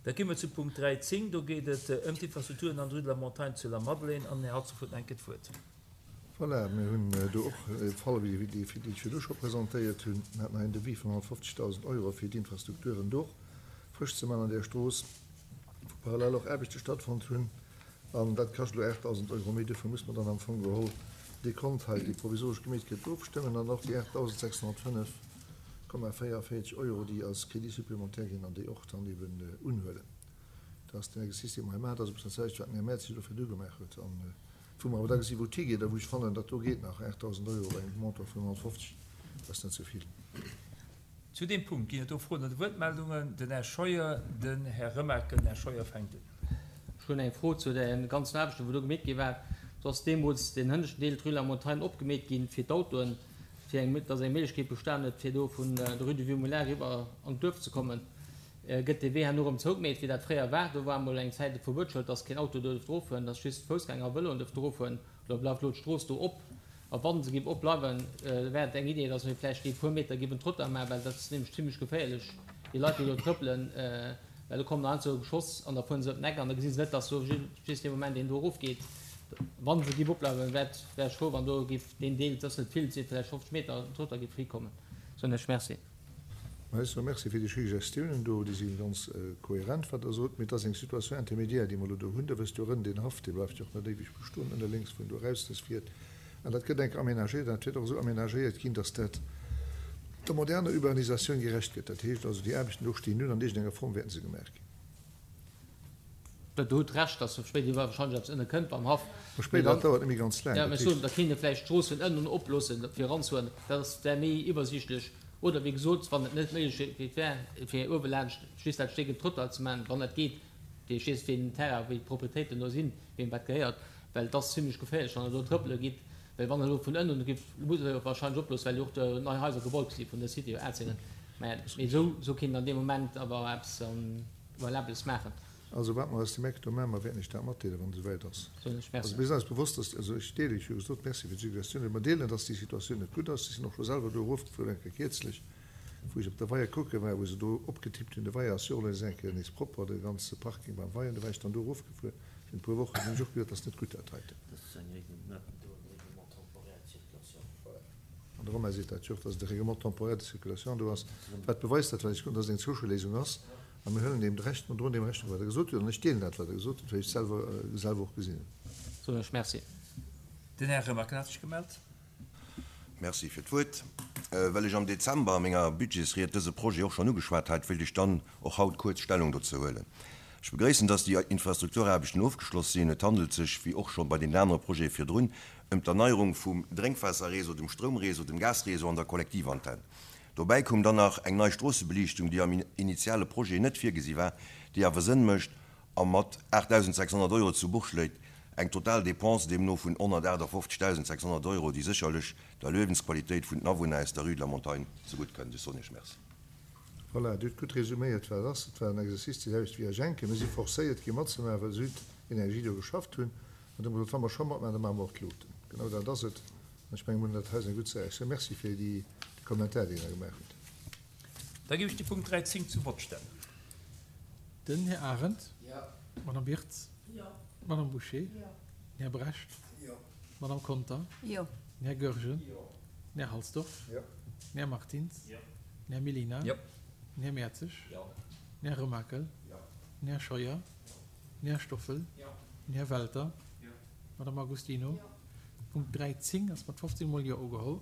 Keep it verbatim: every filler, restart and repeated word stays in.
Da gi mer zu Punkt dräizéng. Do geet et ëm d'Infrastrukturen an der Rue de la Montagne zu Lamadelaine. An den Här Halsdorf huet nach eng Kéier d'Wuert. Voilà, mir hunn do och e Fall wéi dee, deen ech virdu scho presentéiert hunn. Mir haten hei en Devis vun honnertfofzegdausend Euro fir d'Infrastrukturen do frësch ze maachen an där Strooss, wou parallel och Aarbechte stattfonnt hunn. An dat kascht elo aachtdausend Euro méi. Dofir muss mer dann am Fong geholl dee Kont hei, dee provisoresch gemeet gëtt, ofstëmmen an och déi aachtdausendsechshonnertfënnef Komma véierunvéierzeg Euro, déi als Crédit supplémentaire ginn an déi och dann eben unhuelen. Dat ass den Exercice, dee mer hei maachen. Dat ass e bëssen dat selwecht, wat den Här Mertz sech elo virdu gemaach huet. An wou mer awer da gesinn, wou et higeet a wou ech fannen, dat do geet nach, aachtdausend Euro bei engem Montant vun honnertfofzeg, dat ass net esou vill. Zu deem Punkt ginn et do Froen oder Wuertmeldungen. Den Här Scheuer, den Här Remakel. Den Här Scheuer fänkt un. Ech hunn eng Fro zu de ganzen Aarbechten, wou do gemeet gi war. Do ass deemools deen hënneschten Deel, d'Rue de la Montagne, opgemeet ginn fir d'Autoen, fir eng, dass eng Méiglechkeet bestan huet, fir do vun der Rue du Vieux Moulin eriwwer an d'Duerf ze kommen. Gëtt dee Wee herno erëm zougemeet, wéi dat fréier war? Do war emol eng Zäit e Verbuetsschëld, dass keen Auto do duerft erofueren, dass just Foussgänger a Vëloen duerften erofueren. Elo bleift elo d'Strooss do op. A wa se géif opbleiwen, wär et eng Idee, dass mir vläicht déi puer Meter géifen Trottoir maachen, well dat ass nämlech zimlech geféierlech, déi Leit, déi do trëppelen, well do kommen heiansdo Geschoss an da fuere se ëm den Eck an da gesi se net, dass do just dee Moment een do erofgeet. Wa se géif opbleiwen, wär ech frou, wann do géif deen Deel, et ass net vill, et si vläicht fofzeg Meter, Trottoir géif frikomen. Soen ech Merci. Mä ech soe Merci fir déi Suggestiounen do. Déi si ganz kohärent, wat Der sot. Mee et ass eng Situation intermédiaire, déi mer elo do hunn. Der wësst jo, rënn deen Haff, dee bleift jo och net éiweg bestoen, ënne lénks, wou en do eraus dës fiert. An dat gëtt enk aménagéiert an dat wäert och esou aménagéiert ginn, dass dat der moderner Urbanisatioun gerecht gëtt. Dat heescht also, déi Aarbechten do stinn un, an iergendenger Form wäerten se gemaach ginn. Der hutt Recht, dass spéider wahrscheinlech eppes ënne kënnt beim Haff. Mä spéider, dat dauert net méi ganz laang. Jo, mä ech soen, da kéint ee vläicht d'Strooss vun ënnen oploossen, fir eranzehuelen. Dat ass, wär méi iwwersiichtlech. Oder wéi gesot, wann et net d'Méiglechkeet wär, fir uewe laanscht just dat Stéck en Trottoir ze maachen, wann dat geet, ech weess wéi den Terrain, wéi d'Proprietéiten do sinn, weem wat gehéiert, well et ass zimlech geféierlech, wann Der do trëppele gitt, well wann Der elo vun ënnen gitt, musst Der jo wahrscheinlech oploossen, well jo och do nei Haiser gebaut gi si vun der Cité Atzéngen. Mä esou, esou kéint an deem Moment awer eppes Valables maachen. Also wat mer aus dem Eck do maachen, mer wäerten Iech dat matdeelen, wann et esouwäit ass. Soen ech Merci. Also mir sinn eis bewosst, dass, also ech deelen, ech hu jo gesot, Merci fir d'Suggestioun, mee mer deelen, dass déi Situatioun net gutt ass. Ech sinn och scho selwer do erofgefuer eng Kéier kierzlech, wou ech op der Weier kucke war, wou se do opgetippt hunn. De Weier ass jo och elo nees eng Kéier nees propper, de ganze Parking beim Weier. Do war ech dann do erofgefuer fir e puer Wochen, hunn ech och gesot, dat ass net gutt dat heiten. An de Romain seet dat jo och, dass et e Règlement temporaire de circulation do ass, wat beweist dat, wat ech gesot hunn, dass et eng Zwëscheléisung ass. A mir huelen deem d'Recht, mer droen deem Rechnung, wat Der gesot hutt. An ech deelen dat, wat Der gesot hutt, well ech et selwer, selwer och gesinn hunn. Soen ech Merci. Den Här Remakel hat sech gemellt. Merci fir d'Wuert. Well ech am Dezember a menger Budgetsried dëse Projet och schonn ugeschwat hat, wéilt ech dann och haut kuerz Stellung dozou huelen. Ech begréissen, dass déi Infrastrukturaarbechten ofgeschloss sinn. Et handelt sech, wéi och scho bei deenen anere Projete virdrun, ëm d'Erneierung vum Drénkwaasserreseau, dem Stroumreseau, dem Gasreseau an der Kollektivantenn. Dobäi koum dann nach eng nei Stroossebeliichtung, déi am initiale Projet net virgesi war, déi awer Sënn mécht a mat aachtdausendsechshonnert Euro zu Buch schléit. Eng total Dépense deemno vun honnertaachtafoffzegdausendsechshonnert Euro, déi sécherlech der Liewensqualitéit vun den Awunner aus der Rue de la Montagne zegutt kënnt. Ech soen Iech Merci. Voilà, Dir hutt gutt resuméiert, wat et ass. Et war en Exercice, dee selwecht wéi a Jenke. Mir si forcéiert ginn, matzemaachen, well Südenergie do geschafft hunn. An du hu mer gesot, wa mer scho matmaachen, da maache mer och d'Luuchten. Genau dat ass et. An ech mengen, mir hunn dat hei eng gutt Saach. Ech soe Merci fir déi Kommentar, déi Der gemaach hutt. Da géif ech de Punkt dräizéng zum Vott stellen. Den Här Arendt. Jo. D'Madame Wirtz. Jo. D'Madame Bouché. Jo. Den Här Brecht. Jo. D'Madame Conter. Jo. Den Här Goergen. Jo. Den Här Halsdorf. Jo. Den Här Martins. Jo. Den Här Mellina. Jo. Den Här Mertzig. Jo. Den Här Remakel. Jo. Den Här Scheuer. Jo. Den Här Stoffel. Jo. Den Här Welter. Jo. D'Madame Agostino. Jo. Punkt dräizéng ass mat fofzéng mol Jo ugeholl.